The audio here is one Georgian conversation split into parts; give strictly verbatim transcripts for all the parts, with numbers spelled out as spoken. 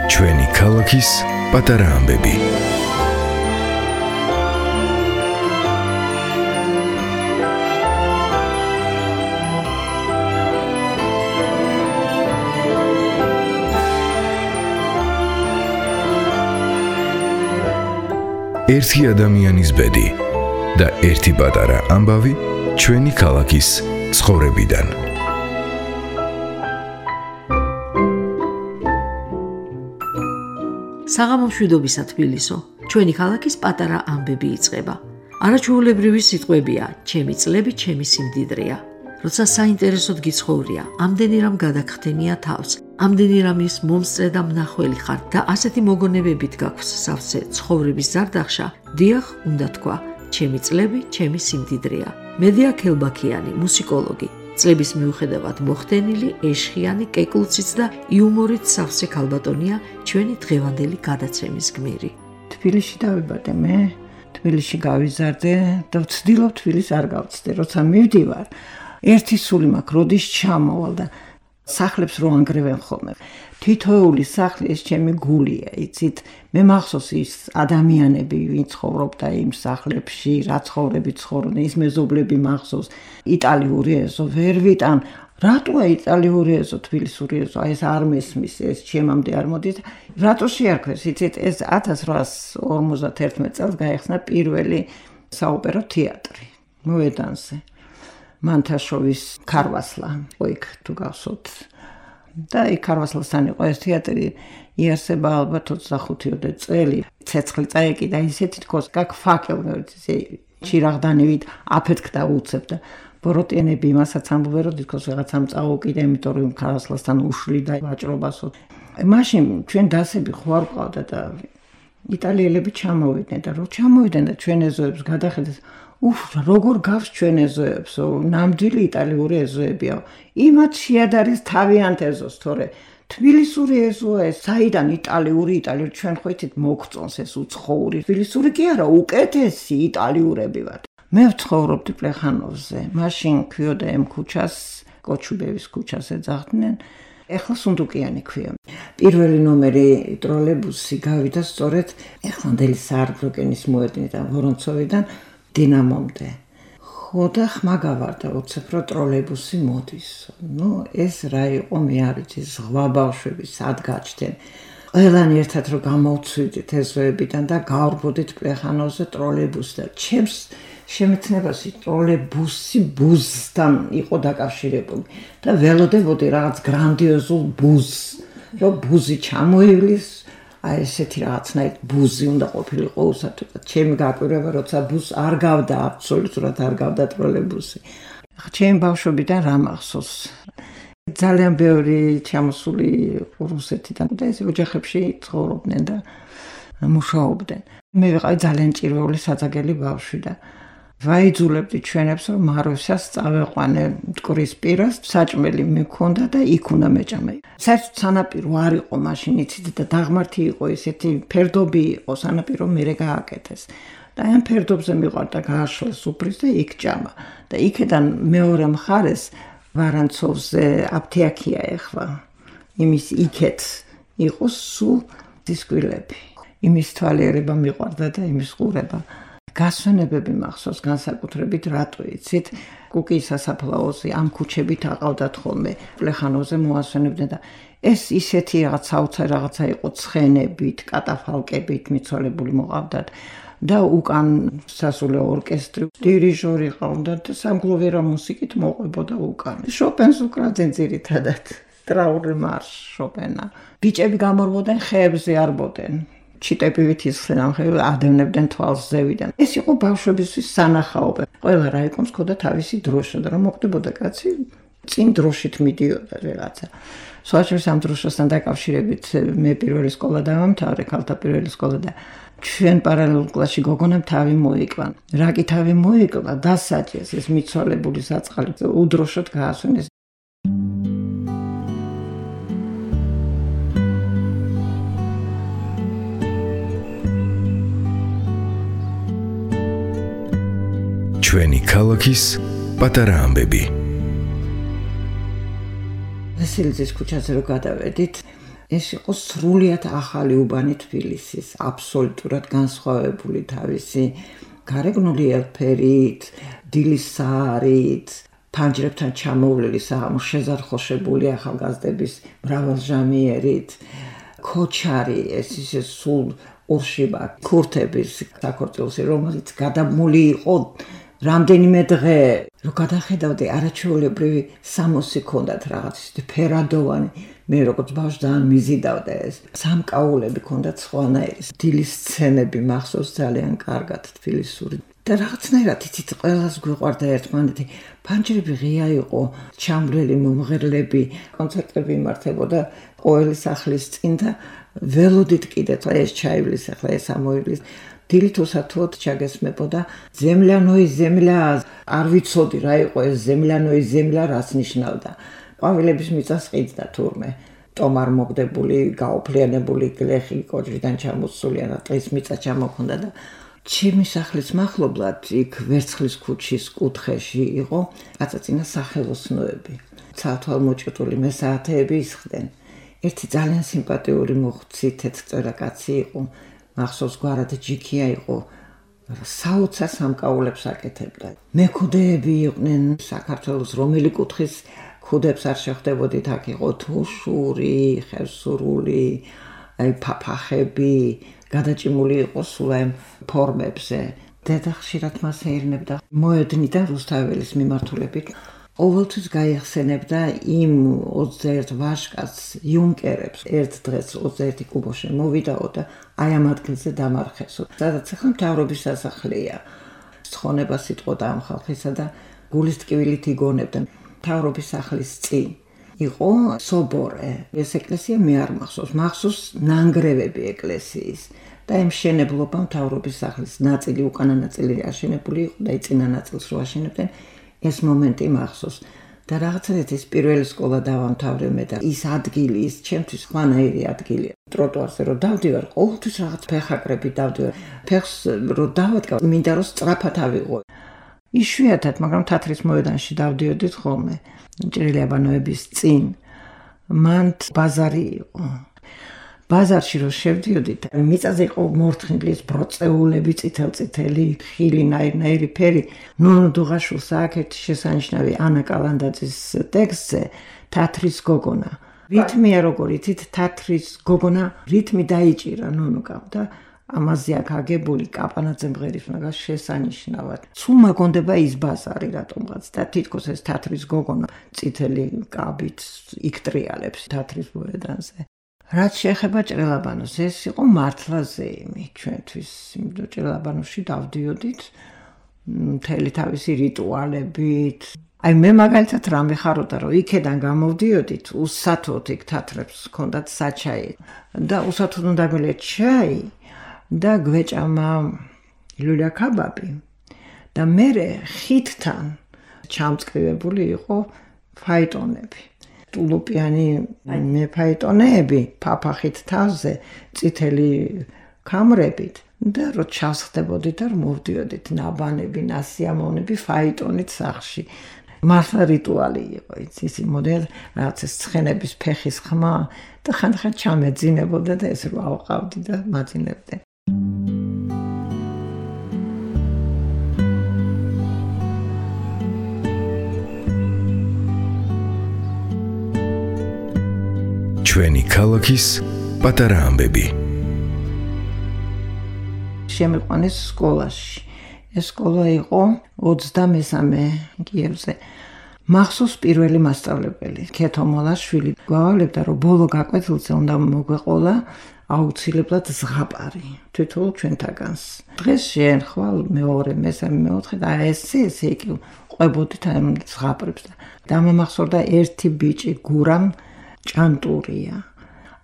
ჩვენი ქალაქის პატარა ამბები. ერთი ადამიანის ბედი და ერთი პატარა ამბავი ჩვენი ქალაქის ცხოვრებიდან. საღამო მშვიდობისა თბილისო, ჩვენი ქალაქის პატარა ამბები იწყება. არაჩვეულებრივი სიტყვებია, ჩემი წლები, ჩემი სიმდიდრეა. როცა საინტერესოდ გიცხოვრია, ამდენი რამ გადაგხდენია თავს, ამდენი რამის მომსწრე და მნახველი ხარ და ასეთი მოგონებებით გაქვს სავსე ცხოვრების ზარდახშა, დიახ, უნდა თქვა, ჩემი წლები, ჩემი სიმდიდრეა. მედია ქელბაქიანი, მუსიკოლოგი, წლების მიუხედავად მოხდენილი, ეშხიანი, კეკლუციც და იუმორით სავსე ქალბატონია ჩვენი დღევანდელი გადაცემის გმირი. თბილისში დავიბადე მე, თბილისში გავიზარდე და ვცდილობ თბილისს არ გავცდე, როცა მივდივარ. ერთი სული მაქვს, როდის ჩამოვალ და სახლებს რო ანგრევენ ხოლმე. თითოეული სახლი ეს ჩემი გულია, იცით? მე მახსოვს ის ადამიანები, ვინც ცხოვრობდა იმ სახლებში, რა ცხოვრები ცხოვრობდნენ, ის მეზობლები მახსოვს. იტალიური ეზო ვერ ვიტან. რატოა იტალიური ეზო, თბილისური ეზო? აი ეს არ მესმის, ეს ჩემამდე არ მოდის. რატო შეარქვეს, იცით? ეს ათას რვაას ორმოცდაერთმეტ წელს გაიხსნა პირველი საოპერო თეატრი მოედანზე. მანთაშოვის ქარვასლა, ოიქ თუ გახსოვთ. და იქ ქარვასლასთან იყო ეს თეატრი, იარსება ალბათ ოცდახუთი წელი. ცეცხლი წაეკიდა ისეთი თქოს, как факел, ჩირაღდანივით აფეთქდა უცებ და ბოროტიანები იმასაც ამბობენ, რომ თქოს რაღაცამ წაუკიდა, იმიტომ რომ ქარვასლასთან უშლიდა ვაჭრობასო. მაშინ ჩვენ დასები ხო არ ყავდა და იტალიელები ჩამოვიდნენ და რო ჩამოვიდნენ და ჩვენ ეზოებს გადახედეს, უფ, როგორ გავს ჩვენ ეზოებს, ნამდვილი იტალიური ეზოებია. იმათ შეადარეს თავიანთ ეზოს, თორე თბილისური ეზოა ეს, საიდან იტალიური, იტალიური ჩვენ ხო იცით მოგწონს ეს უცხოური. თბილისური კი არა, უკეთესი იტალიურები ვართ. მე ვცხოვრობდი პლეხანოვზე, მაშინ ქვიოდა ემ ქუჩას, კოჩუბევის ქუჩას ეძახდნენ. ეხლა სუნდუკიანი ქვია. პირველი ნომერი ტროლეიბუსი გავიდა სწორედ ეხლანდელი საარბროკენის მოედნიდან, ვორონცოვიდან დინამომდე. ხო და ხმა გავარდა უცებ რომ ტროლეიბუსი მოდის. ნუ ეს რა იყო, მე არ ვიცი, ზღვა ბავშვები სად გაჩნდნენ. ყველანი ერთად რომ გამოვცვიდით ეზოებიდან და გავრბოდით პლეხანოვზე ტროლეიბუსს და ჩემს შემეცნებას ტროლეიბუსი ბუზთან იყო დაკავშირებული და ველოდებოდი რაღაც გრანდიოზულ ბუზს, რომ ბუზი ჩამოივლის, აი ესეთი რაღაცნაირ ბუზი უნდა ყოფილიყო უსათუდა. ჩემი გაკვირვება, როცა ბუზს არ გავდა, აბსოლუტურად არ გავდა ტროლეიბუსი. ჩემი ბავშვობიდან რა მახსოვს? ძალიან ბევრი ჩამოსული რუსეთიდან და ეს ოჯახებში ცხოვრობდნენ და მუშაობდნენ. მე ვიყავი ძალიან ჭირვეული საძაგელი ბავშვი და ვაიძულებდი ჩვენებს, რომ მაროსას წავეყვანე მტკვრის პირას, საჭმელი მქონდა და იქ უნდა მეჭამე. საერთოდ სანაპირო არ იყო მაშინ, იცით, და დაღმართი იყო ესეთი ფერდობი იყო, სანაპირო მერე გააკეთეს. და ამ ფერდობზე მივყავდა გააშლეს სუფრის და იქ ჭამა. და იქედან მეორე მხარეს ვარანცოვზე აფთიაქია ეხლა. იმის იქეთ იყო სულ დისკვილები. იმის თვალიერება მიყვარდა და იმის ყურება. გასვენებები მახსოვს განსაკუთრებით, რატო იცით? კუკიის სასაფლაოზე ამ ქუჩებით აყავდათ ხოლმე, პლეხანოვზე მოასვენებდნენ და ეს ისეთი რაღაც საოცარი რაღაცა იყო, ცხენებით, კატაფალკებით მიცვალებული მოყავდათ და უკან სასულე ორკესტრი, დირიჟორი ყავდათ და სამგლოვერა მუსიკით მოყვებოდა უკან. შოპენს უკრავდნენ ძირითადად, ტრაური მარშ შოპენა. ბიჭები გამორბოდნენ, ხეებზე არბოდნენ. ჩიტებივით ისხდნენ ამ ხეებზე, ადევნებდნენ თვალს ზევიდან. ეს იყო ბავშვებისთვის სანახაობა. ყველა რაიკონს ჰქონდა თავისი დროშა და რომ მოხდებოდა კაცი, წინ დროშით მიდიოდა რაღაცა. სხვაჩვენს ამ დროშასთან დაკავშირებით მე პირველი სკოლა დავამთავრე, ქალთა პირველი სკოლა და ჩვენ პარალელურ კლასში გოგონამ თავი მოიკლა. რა კი თავი მოიკლა, დასაჭეს ეს მიცვალებული საწყალი, უდროშოდ გაასვენეს. ჩვენი ქალაქის პატარა ამბები. ვასილიძის ქუჩაზე რო გადავედით, ეს იყო სრულიად ახალი უბანი თბილისის, აბსოლუტურად განსხვავებული თავისი გარეგნული ელფერით, დილის საარით, ფანჯრებთან ჩამოვლილი საღამოს შეზარხოშებული ახალგაზრდების მრავალჟამიერით, ქოჩარი, ეს ისე სულ ორშიბა ქურთების საქორწილოსი, რომელიც გადამული იყო რამდენიმე დღე, რო გადახედავდი არაჩვეულებრივი სამოსი ქონდათ რაღაც ისეთი ფერადოვანი, მე როგორც ბავშვი ძალიან მიზიდავდა ეს. სამკაულები ქონდათ სხვანაირი, დილის სცენები მახსოვს ძალიან კარგად თბილისური. და რაღაცნაირად იცით ყველას გვიყვარდა ერთმანეთი. ფანჯრები ღია იყო, ჩამვლელი მომღერლები, კონცერტები იმართებოდა ყოველი სახლის წინ და ველოდით კიდე ეს ჩაივლის, ახლა ეს ამოივლის. დილით უსათუოდ ჩაგესმებოდა ზემლიანოი ზემლია, არ ვიცოდი რა იყო ეს ზემლიანოი ზემლია, რას ნიშნავდა. ყვავილების მიწას ყიდდა თურმე. ტომარ მოგდებული, გაოფლიანებული გლეხი კოჭრიდან ჩამოსული, და ტყის მიწა ჩამოქონდა და ჩემი სახლის მახლობლად იქ ვერცხლის ქუჩის კუთხეში იყო კაცაწინა სახელოსნოები. ცალთვალმოჭრული მესაათეები ისხდნენ. ერთი ძალიან სიმპათიური მოხუცი თეთრწვერა კაცი იყო. მახსოვს გვარად ჯიქია იყო, საოცარ სამკაულებს აკეთებდა. მექუდეები იყვნენ საქართველოს რომელი კუთხის ქუდებს არ შეხვდებოდით, აქ იყო თუშური, ხევსურული, აი ფაფახები, გადაჭიმული იყო სულ ამ ფორმებზე. დედა ხშირად მას ეირნებდა. მოედნიდან რუსთაველის მიმართულებით ყოველთვის გაიხსენებდა იმ ოცდაერთ ვაჟკაცს, იუნკერებს. ერთ დღეს ოცდაერთი კუბოში მოვიდაო და აი ამ ადგილზე დამარხესო. სადაც ახლა მთავრობის სასახლეა. ცხონება სიტყოდა ამ ხალხისა და გულის ტკივილით იგონებდა. მთავრობის სახლის წინ იყო სობორე. ეს ეკლესია მე არ მახსოვს, მახსოვს ნანგრევები ეკლესიის. და იმ მშენებლობა მთავრობის სახლის ნაწილი, უკანა ნაწილი აშენებული იყო და წინა ნაწილს რო აშენებდნენ, ეს მომენტი მახსოვს. და რაღაცნაირად ეს პირველი სკოლა დავამთავრე მე და ის ადგილი, ის ჩემთვის ხვანაირი ადგილია. ტროტუარზე რო დავდივარ, ყოველთვის რაღაც ფეხაკრები დავდივარ. ფეხს რო დავადგავ, მინდა რომ სწრაფად ავიღო. იშვიათად, მაგრამ თათრის მოედანში დავდიოდით ხოლმე, ჭრილიაბანოების წინ. მან ბაზარი იყო. ბაზარში რო შევდიოდით, მიწაზე იყო მორთხინგლის ბროწეულები, წითელ-წითელი, ხილი, ნაირ-ნაირი ფერი. ნუნუ დუღაშვილს აქვს ერთი შესანიშნავი ანა კალანდაძის ტექსტზე თათრის გოგონა. რითმია როგორ იცით, თათრის გოგონა რითმი დაიჭირა ნუნუკამ და ამაზე აქ აგებული კაპანაძე მღერის მაგას შესანიშნავად. სულ მაგონდება ის ბაზარი რატომღაც და თითქოს ეს თათრის გოგონა წითელი კაბით იქტრიალებს თათრის მოედანზე. რაც შეეხება ჭრელაბანოს, ეს იყო მართლა ზეიმი ჩვენთვის. იმიტომ ჭრელაბანოში დავდიოდით მთელი თავისი რიტუალებით. აი მე მაგალითად რა მეხაროდა, რომ იქედან გამოვდიოდით, უსათოდ იქ თათრებს ჰქონდათ საჩაი და უსათოდ უნდა გველეთ ჩაი და გვეჭამა ლულა კაბაბი და მე ხითთან ჩამწკრივებული იყო ფაიტონები. ტულუპიანი მე ფაიტონები ფაფახით თავზე, წითელი ქამრებით და რო ჩასხდებოდით და მოვდიოდით ნაბანები, ნასიამოვნები ფაიტონით სახში. მართლა რიტუალი იყო, იცი, მოდელ რაღაც ეს ცხენების ფეხის ხმა და ხანდახან ჩამეძინებოდა და ეს რო ავყავდი და მაძინებდი. ჩვენი ქალაქის პატარა ამბები. შემიყვანეს სკოლაში. ეს სკოლა იყო ოცდამესამე კიევზე. მახსოვს პირველი მასწავლებელი, ქეთო მოლაშვილი, გვავალებდა, რომ ბოლო გაკვეთილზე უნდა მოგვეყოლა აუცილებლად ზღაპარი, თვითონ ჩვენთაგანს. დღეს შენ ხვალ მეორე, მესამე, მეოთხე და ესე ესე იგი ყვებოდით ამ ზღაპრებს და დამამახსოვრდა ერთი ბიჭი გურამ ჭანტურია.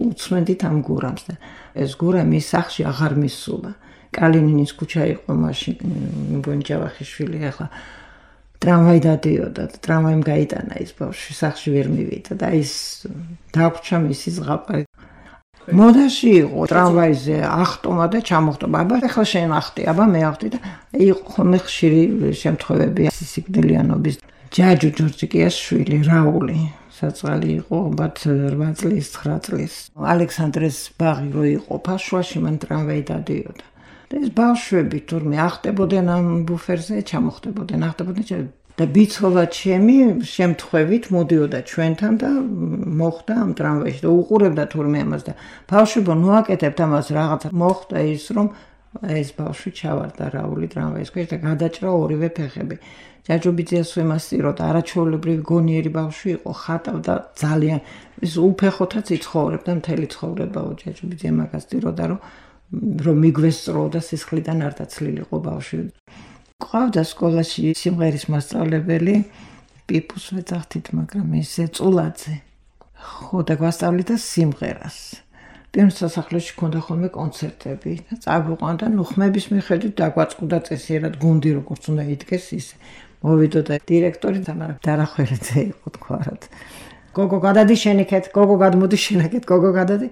უცმენდით ამ გურამს და ეს გურამი სახში აღარ მისულა. კალინინის ქუჩა იყო მაშინ, მგონი ჯავახიშვილი, ახლა ტრამვაი დადიოდა და ტრამვაიმ გაიტანა ის ბავშვი, სახში ვერ მივიდა და ის დაგვრჩა მისი ზღაპარი. მოდაში იყო ტრამვაიზე ახტომა და ჩამოხტომა. აბა ახლა შენ ახტი, აბა მე ახტი და იყო ხოლმე ხშირი შემთხვევები სიკვდილიანობის. ჯაჯუ ჯორჯიკიას შვილი რაული საწყალი იყო ალბათ რვა წლის, ცხრა წლის. ალექსანდრეს ბაღი რო იყოფა, შუაში მან ტრამვაი დადიოდა. და ეს ბავშვები თურმე ახტებოდნენ ამ ბუფერზე, ჩამოხტებოდნენ, ახტებოდნენ და ბიცხოვა ჩემი შემთხვევით მოდიოდა ჩვენთან და მოხდა ამ ტრამვაიში და უყურებდა თურმე ამას და ბავშვებო ნუ აკეთებთ ამას რაღაცა მოხდა ის რომ ეს ბავშვი ჩავარდა რაული ტრამვაის ქვეშ და გადაჭრა ორივე ფეხები. ჯაჯუბიძიას ვემასწიროთ, არაჩვეულებრივი გონიერი ბავშვი იყო, ხატავდა ძალიან, ის უფეხოთაც იცხოვრებდა მთელი ცხოვრება. ჯაჯუბიძე მაგას წიროდა, რომ რომ მიგვესწროდა სისხლიდან არ დაცლილიყო ბავშვი. ყავდა სკოლაში სიმღერის მასწავლებელი, პიპუს ვეძახთით, მაგრამ ისე წულაძე. ხო და გვასწავლიდა სიმღერას. პირველ სასახლეში ქონდა ხოლმე კონცერტები და წაგვიყვანდა, ნუ ხმების მიხედვით დაგვაწყდა წესიერად გუნდი როგორც უნდა იდგეს ისე. მოვიდოდა დირექტორი თამარა დარახვერიძე იყო თქვათ. გოგო გადადი შენიქეთ, გოგო გადმოდი შენაკეთ, გოგო გადადი.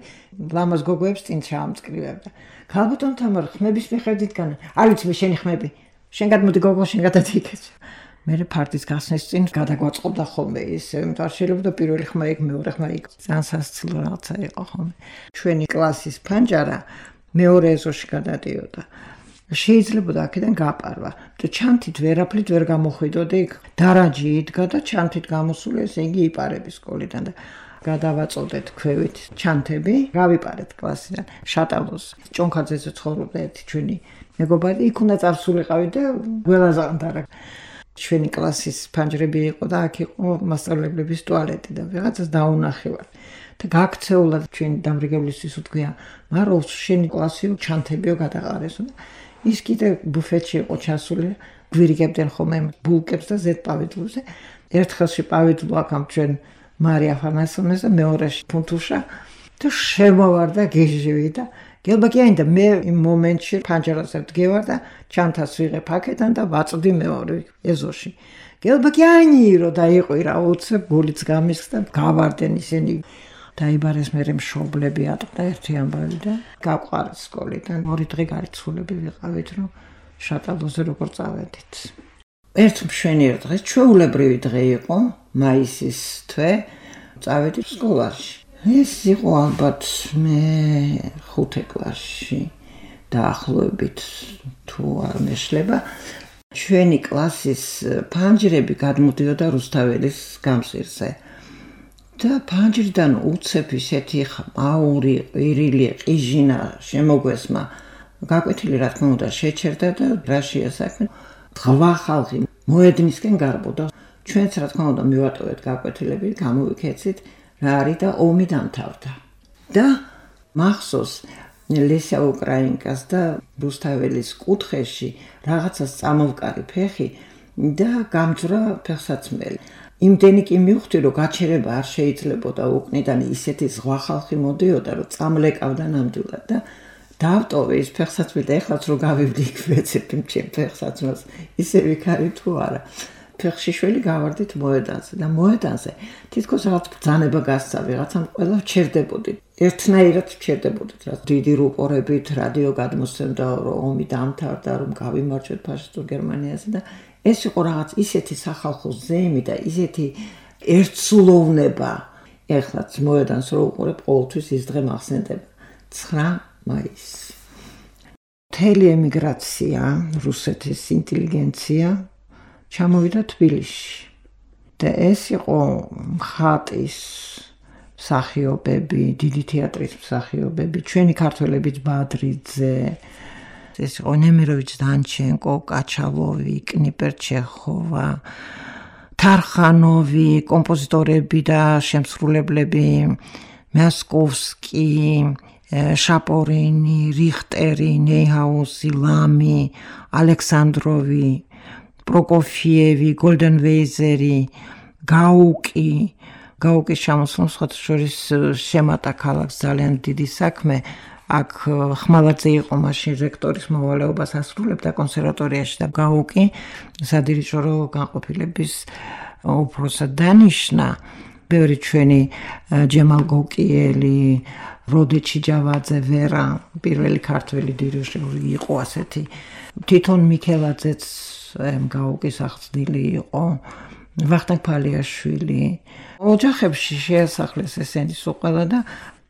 ლამაზ გოგოებს წინ ჩაამწკრივებდა. ქალბატონ თამარ ხმების მიხედვით განა. არ ვიცი მე შენი ხმები. შენ გადმოდი გოგო შენ გადადი იქეთ. მე ფარტის გასვლის წინ გადაგვაწყობდა ხოლმე ისე, იმიტომ არ შეიძლება პირველი ხმა იქ, მეორე ხმა იქ. ძალიან სასაცილო რაღაცა იყო ხოლმე. ჩვენი კლასის ფანჯარა მეორე ეზოში გადადიოდა. შეიძლებოდა აქედან გაპარვა და ჩანთით ვერაფრით ვერ გამოხვიდოდი იქ. დარაჯი იდგა და ჩანთით გამოსული ესე იგი იპარების სკოლიდან და გადავაწოდეთ ქვევით ჩანთები, გავიპარეთ კლასიდან შატალოს. ჭონქაძეზე ცხოვრობდა ერთი ჩვენი მეგობარი, იქ უნდა წარსულიყავი და გველაზანდარა. ჩვენი კლასის ფანჯრები იყო და აქ იყო მასწავლებლების ტუალეტი და ვიღაცას დაუნახევარ. და გაქცეულა ჩვენი დამრიგებლისთვის უთქვია, მარო შენი კლასი ჩანთებიო გადაყარესო და ის კიდე ბუფეტში იყო ჩასული, გვირიგებდნენ ხოლმე ბულკებს და ზედ პავიდლზე. ერთ ხელში პავიდლო აქამ ჩვენ მარია ფანასონეს და მეორეში ფუნთუშა და შემოვარდა გეჟივი და გელბაკიანი და მე იმ მომენტში ფანჯარაზე ვდგევარ და ჩანთას ვიღებ აქედან და ვაწვდი მეორე ეზოში. გელბაკიანი რო დაიყვირა უცებ გულიც გამისხდა და გავარდნენ ისინი. დაიბარეს მერე მშობლები ატყდა ერთი ამბავი და გავყარეს სკოლიდან. ორი დღე გარიცხულები ვიყავით, რომ შატალოზე როგორ წავედით. ერთ მშვენიერ დღეს ჩვეულებრივი დღე იყო, მაისის თვე, წავედით სკოლაში. ეს იყო ალბათ მე ხუთე კლასში დაახლოებით თუ არ მეშლება. ჩვენი კლასის ფანჯრები გადმოდიოდა რუსთაველის გამზირზე. და ფანჯრიდან უცებ ისეთი ყაური, ყირილი, ყიჟინა შემოგვესმა. გაკვეთილი რა თქმა უნდა შეჩერდა და რაშია საქმე. ღვა ხალხი მოედნისკენ გარბოდა. ჩვენც რა თქმა უნდა მივატოვეთ გაკვეთილები, გამოვიქეცით რა არის და ომი დამთავრდა. და მახსოვს ლესია უკრაინკას და რუსთაველის კუთხეში რაღაცას წამოვკარი ფეხი და გამძვრა ფეხსაცმელი. იმდენი კი მივხვდი, რომ გაჩერება არ შეიძლებოდა უკნიდან ისეთი ზღვა ხალხი მოდიოდა, რომ წამლეკავდა ნამდვილად და დავტოვე ის ფეხსაცმელი და ეხლაც რო გავივდი იქ ვეცებ იმ ჩემ ფეხსაცმელს, ისე ვიქარი თუ არა. ფეხშიშველი გავარდით მოედანზე და მოედანზე თითქოს რაღაც ბრძანება გასცა, ვიღაცამ ყველა ვჩერდებოდით. ერთნაირად ვჩერდებოდით, რა დიდი რუპორებით რადიო გადმოსცემდა, რომ ომი დამთავრდა, რომ გავიმარჯვეთ ფაშისტურ გერმანიაზე და ეს იყო რაღაც ისეთი სახალხო ზეიმი და ისეთი ერთსულოვნება. ეხლაც მოედანს რო უყურებ, ყოველთვის ის დღე მახსენდება. ცხრა მაისი. მთელი ემიგრაცია, რუსეთის ინტელიგენცია ჩამოვიდა თბილისში. და ეს იყო მხატის მსახიობები, დიდი თეატრის მსახიობები, ჩვენი ქართველებიც ბადრიძე, ეს იყო ნემიროვიჩ დანჩენკო, კაჩალოვი, კნიპერჩეხოვა, თარხანოვი, კომპოზიტორები და შემსრულებლები, მასკოვსკი, შაპორინი, რიხტერი, ნეიჰაუსი, ლამი, ალექსანდროვი, პროკოფიევი, გოლდენვეიზერი, გაუკი, გაუკის ჩამოსვლამ სხვათა შორის შემატა ქალაქს ძალიან დიდი საქმე. აქ ხმალაძე იყო მაშინ რექტორის მოვალეობას ასრულებდა კონსერვატორიაში და გაუკი სადირიჟორო განყოფილების უფროსად დანიშნა ბევრი ჩვენი ჯემალ გოკიელი, როდე ჩიჯავაძე, ვერა, პირველი ქართველი დირიჟორი იყო ასეთი. თვითონ მიქელაძეც გაუკის აღზრდილი იყო, ვახტანგ ფალიაშვილი. ოჯახებში შეასახლეს ესენი სულ ყველა და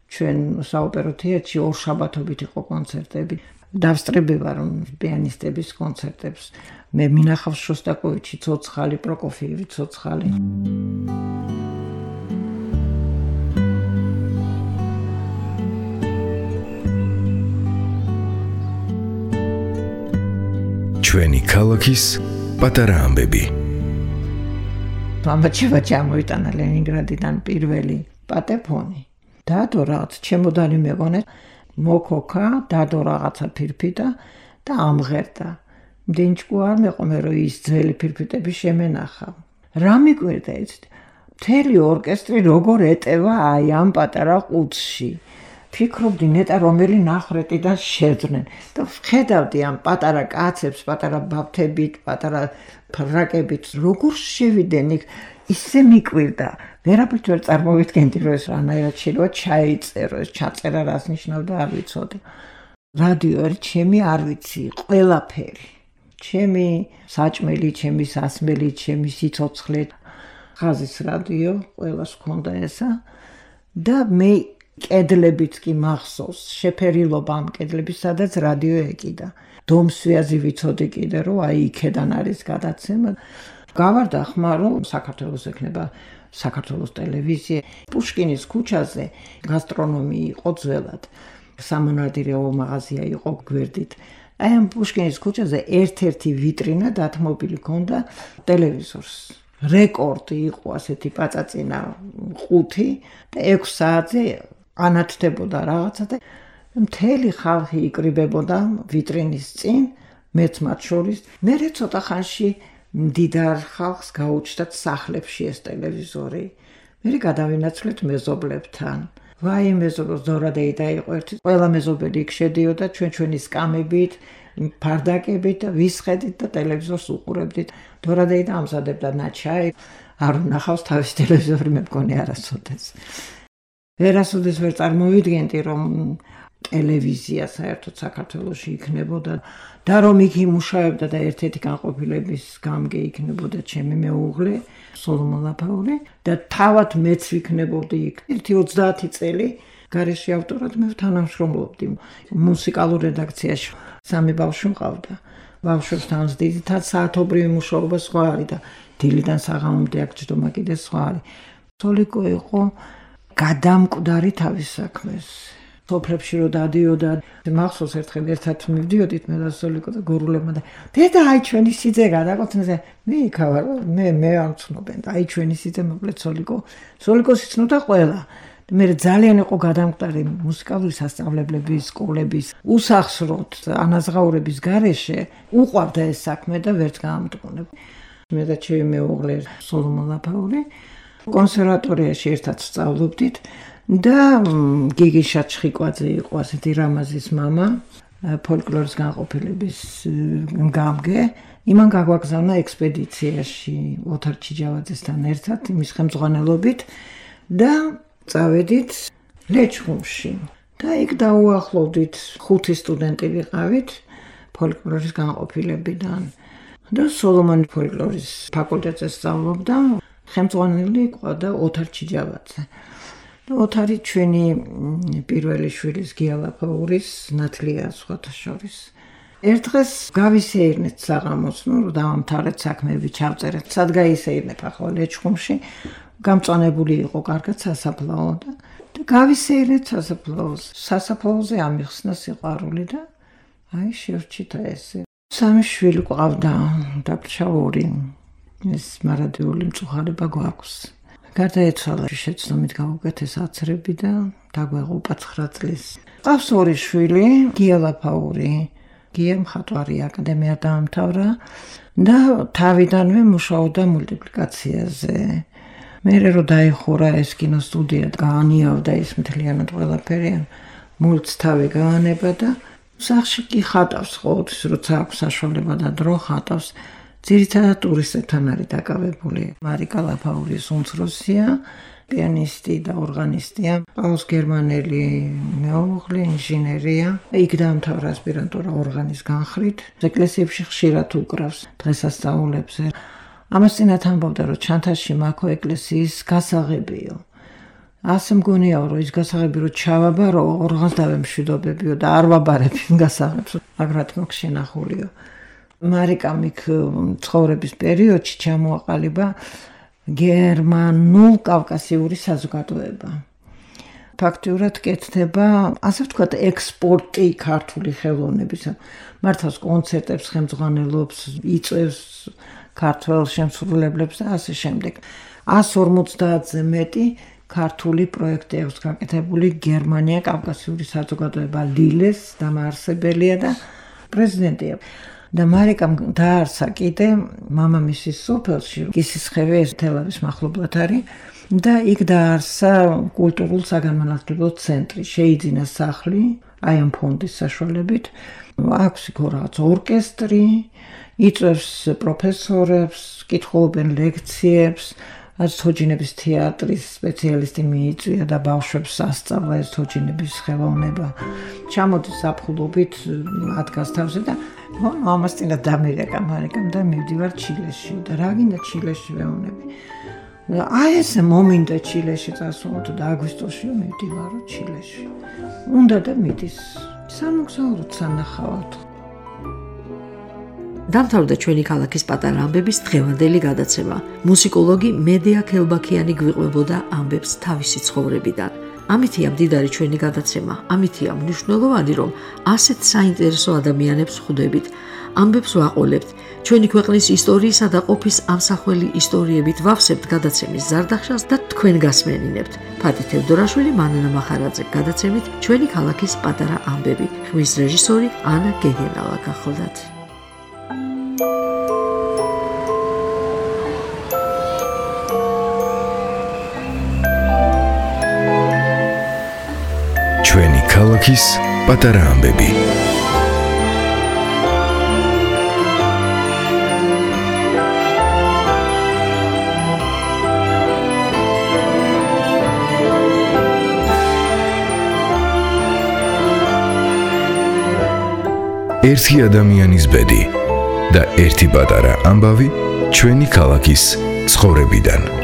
ჩვენ საოპერო თეატრში ორ შაბათობით იყო კონცერტები. დავსწრები ვარ პიანისტების კონცერტებს. მე მინახავს შოსტაკოვიჩი, ცოცხალი, პროკოფიევი, ცოცხალი. ჩვენი ქალაქის პატარა ამბები. მამაჩევა ჩამოიტანა ლენინგრადიდან პირველი პატეფონი. დადო რაღაც ჩემოდანი მეგონე, მოკოქა, დადო რაღაცა ფირფიტა და ამღერდა. მდინჭკუ არ მეყომე რომ ის ძველი ფირფიტები შემენახა. რა მიკვირდა იცით? მთელი ორკესტრი როგორ ეტევა აი ამ პატარა ყუთში. ფიქრობდი ნეტა რომელი ნახრეტიდან შეძნენ და ვხედავდი ამ პატარა კაცებს, პატარა ბავთებით, პატარა ფრაკებით, როგორ შევიდნენ იქ, ისე მიკვირდა. ვერაფრით ვერ წარმოვიდგენდი, რომ ეს რანაირად შეიძლება ჩაიწერო, ეს ჩაწერა რას ნიშნავდა, არ ვიცოდი. რადიო არის ჩემი, არ ვიცი, ყველაფერი. ჩემი საჭმელი, ჩემი სასმელი, ჩემი სიცოცხლე. ხაზის რადიო, ყველას ჰქონდა ესა და მე კედლებიც კი მახსოვს, შეფერილობა ამ კედლების, სადაც რადიო ეკიდა. დომსვიაზი ვიცოდი კიდე, რომ აი იქედან არის გადაცემა. გავარდა ხმა, რომ საქართველოს ექნება საქართველოს ტელევიზია. პუშკინის ქუჩაზე გასტრონომი იყო ძველად. სამონადირეო მაღაზია იყო გვერდით. აი ამ პუშკინის ქუჩაზე ერთ-ერთი ვიტრინა დათმობილი ჰქონდა ტელევიზორს. რეკორდი იყო ასეთი პაწაწინა ყუთი და ექვს საათზე ანათდებოდა რაღაცა და მთელი ხალხი იკრიბებოდა ვიტრინის წინ, მეც მათ შორის. მერე ცოტა ხანში მდიდარ ხალხს გაუჩნდათ სახლებში ეს ტელევიზორი. მერე გადავინაცვლეთ მეზობლებთან. ვაი მეზობლო ზორადეიდა იყო ერთი. ყველა მეზობელი იქ შედიოდა ჩვენ ჩვენი სკამებით, ფარდაკებით და ვისხედით და ტელევიზორს უყურებდით. ზორადეიდა ამზადებდა ნაჩაი, არ უნახავს თავის ტელევიზორი, მე მგონი არასოდეს. ვერასოდეს ვერ წარმოვიდგენდი, რომ ტელევიზია საერთოდ საქართველოში იქნებოდა და რომ იქ იმუშავებდა და ერთ-ერთი განყოფილების გამგე იქნებოდა ჩემი მეუღლე სოლომონ ლაფაური და თავად მეც ვიქნებოდი იქ. ერთი ოცდაათი წელი გარეშე ავტორად მე თანამშრომლობდი მუსიკალურ რედაქციაში. სამი ბავშვი მყავდა. ბავშვებთან ძირითადად საათობრივი მუშაობა სხვა არის და დილიდან საღამომდე აქ ჯდომა კიდე სხვა არის. სოლიკო იყო გადამკვდარი თავის საქმეს. სოფლებში რო დადიოდა, მახსოვს ერთხელ ერთად მივდიოდით მე და სოლიკო და გურულებმა და დედა აი ჩვენი სიძე გადაგვცნზე მე იქავარ მე მე არ ვცნობენ და აი ჩვენი სიძე მოკლედ სოლიკო სოლიკოს იცნობდა ყველა. მე ძალიან იყო გადამკვდარი მუსიკალური სასწავლებლების, სკოლების, უსახსროდ ანაზღაურების გარეშე უყვარდა ეს საქმე და ვერც გაამტყუნებ. მე და ჩემი მეუღლე სოლომონ ლაფაური კონსერვატორიაში ერთად სწავლობდით და გიგი შაჩხიკვაძე იყო ასეთი რამაზის მამა, ფოლკლორის განყოფილების გამგე. იმან გაგვაგზავნა ექსპედიციაში ოთარ ჩიჯავაძესთან ერთად იმის ხელმძღვანელობით და წავედით ლეჩხუმში. და იქ დაუახლოვდით ხუთი სტუდენტი ვიყავით ფოლკლორის განყოფილებიდან. და სოლომონ ფოლკლორის ფაკულტეტზე სწავლობდა, ხელმძღვანელი იყო და ოთარ ჩიჯავაძე. ოთარი ჩვენი პირველი შვილის გია ლაფაურის ნათლია სხვათა შორის. ერთ დღეს გავისეირნეთ საღამოს, ნუ დავამთავრეთ საქმეები, ჩავწერეთ, სად გაისეირნებ ახლა ლეჩხუმში. გამწვანებული იყო კარგად სასაფლაო და გავისეირნეთ სასაფლაოს. სასაფლაოზე ამიხსნა სიყვარული და აი შევჭითა ესე. სამი შვილი ყავდა, დაგრჩა ორი. ეს მარადიული მწუხარება გვაქვს. გარდაეცვალა შეცდომით გავუკეთეს აცრები და დაგვეღუპა ცხრა წლის. ყავს ორი შვილი, გია ლაფაური. გია მხატვარი აკადემია დაამთავრა და თავიდანვე მუშაობდა მულტიპლიკაციაზე. მერე რო დაიხურა ეს კინოსტუდია, გაანიავდა ის მთლიანად ყველაფერი, მულტს თავი გაანება და სახში კი ხატავს ყოველთვის, როცა აქვს საშუალება და დრო ხატავს. ძირითადად ტურისტებთან არის დაკავებული. მარიკა ლაფაურის უმცროსია, პიანისტი და ორღანისტია, ყავს გერმანელი მეუღლე, ინჟინერია. იქ დაამთავრა ასპირანტურა ორღანის განხრით. ეკლესიებში ხშირად უკრავს დღესასწაულებზე. ამასთანავე ამბობდა, რომ ჩანთაში მაქო ეკლესიის გასაღებიო. ასე მგონიაო, რომ ის გასაღები რო ჩავაბარო, ორღანს დავემშვიდობებიო და არ ვაბარებ იმ გასაღებს, აგრად მოგ შენახულიო. მარიკამ იქ ცხოვრების პერიოდში ჩამოაყალიბა გერმანულ-კავკასიური საზოგადოება. ფაქტიურად კეთდება, ასე ვთქვათ, ექსპორტი ქართული ხელოვნებისა. მართავს კონცერტებს, ხელმძღვანელობს, იწვევს ქართველ შემსრულებლებს და ასე შემდეგ. εκατს ორმოცდაათზე მეტი ქართული პროექტი აქვს გაკეთებული გერმანია-კავკასიური საზოგადოება ლილეს დამაარსებელია და პრეზიდენტია. და მარიკამ დაარსა კიდე მამამისის სოფელში, კისისხევი თელავის მახლობლად არის და იქ დაარსა კულტურულ საგანმანათლებლო ცენტრი, შეიძინა სახლი, აი ამ ფონდის საშუალებით, აქვს იქ რაღაც ორკესტრი, იწვევს პროფესორებს, კითხულობენ ლექციებს, რაც თოჯინების თეატრის სპეციალისტი მიიწვია და ბავშვებს ასწავლა ეს თოჯინების ხელოვნება. ჩამოდის ზაფხულობით ადგას თავზე და ამასთანა დამირეკა მარიკამ და მივდივარ ჩილეში და რა გინდა ჩილეში ვეუბნები. აი ესე მომინდა ჩილეში წასულოთ და აგვისტოში მივდივარო ჩილეში. უნდა და მიდის. სამოგზაუროდ სანახავად. დამთავრდა ჩვენი ქალაქის პატარა ამბების დღევანდელი გადაცემა. მუსიკოლოგი მედია ქელბაქიანი გვიყვებოდა ამბებს თავისი ცხოვრებიდან. ამითია მდიდარი ჩვენი გადაცემა, ამითია მნიშვნელოვანი, რომ ასეთ საინტერესო ადამიანებს ხვდებით, ამბებს ვაყოლებთ, ჩვენი ქვეყნის ისტორიისა და ყოფის ამსახველი ისტორიებით ვავსებთ გადაცემის ზარდახშას და თქვენ გასმენინებთ. ფათი თევდორაშვილი, მანანა მახარაძე, გადაცემით ჩვენი ქალაქის პატარა ამბები. ხმის რეჟისორი ანა გეგენავა გახლდათ. ჩვენი ქალაქის პატარა ამბები. ერთი ადამიანის ბედი და ერთი პატარა ამბავი ჩვენი ქალაქის ცხოვრებიდან.